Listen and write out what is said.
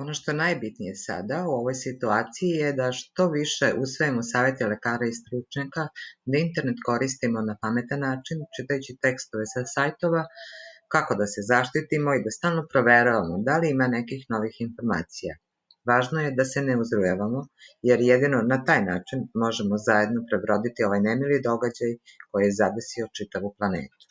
Ono što je najbitnije sada u ovoj situaciji je da što više usvojimo savjete lekara i stručnjaka, da internet koristimo na pametan način, čitajući tekstove sa sajtova, kako da se zaštitimo i da stalno proveravamo da li ima nekih novih informacija. Važno je da se ne uzrujavamo, jer jedino na taj način možemo zajedno prebroditi ovaj nemili događaj koji je zadesio čitavu planetu.